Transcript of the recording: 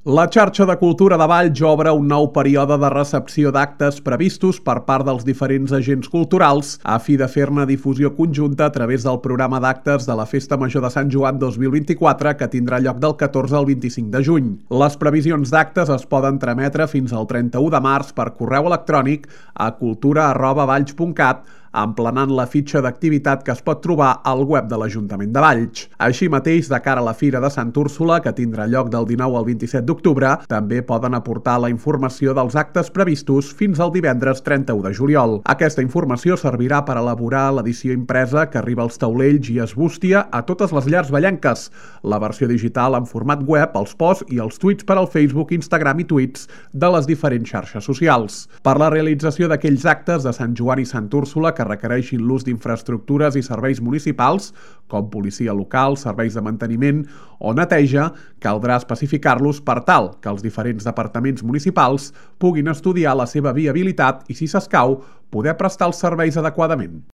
La xarxa de cultura de Valls obre un nou període de recepció d'actes previstos per part dels diferents agents culturals a fi de fer-ne difusió conjunta a través del programa d'actes de la Festa Major de Sant Joan 2024 que tindrà lloc del 14 al 25 de juny. Les previsions d'actes es poden trametre fins al 31 de març per correu electrònic a cultura@valls.cat emplenant la fitxa d'activitat que es pot trobar al web de l'Ajuntament de Valls. Així mateix, de cara a la Fira de Sant Úrsula, que tindrà lloc del 19 al 27 d'octubre, també poden aportar la informació dels actes previstos fins al divendres 31 de juliol. Aquesta informació servirà per elaborar l'edició impresa que arriba als taulells i es bústia a totes les llars vallenques, la versió digital en format web, els posts i els tuits per al Facebook, Instagram i tuits de les diferents xarxes socials. Per la realització d'aquells actes de Sant Joan i Sant Úrsula que requereixin l'ús d'infraestructures i serveis municipals, com policia local, serveis de manteniment o neteja, caldrà especificar-los per tal que els diferents departaments municipals puguin estudiar la seva viabilitat i, si s'escau, poder prestar els serveis adequadament.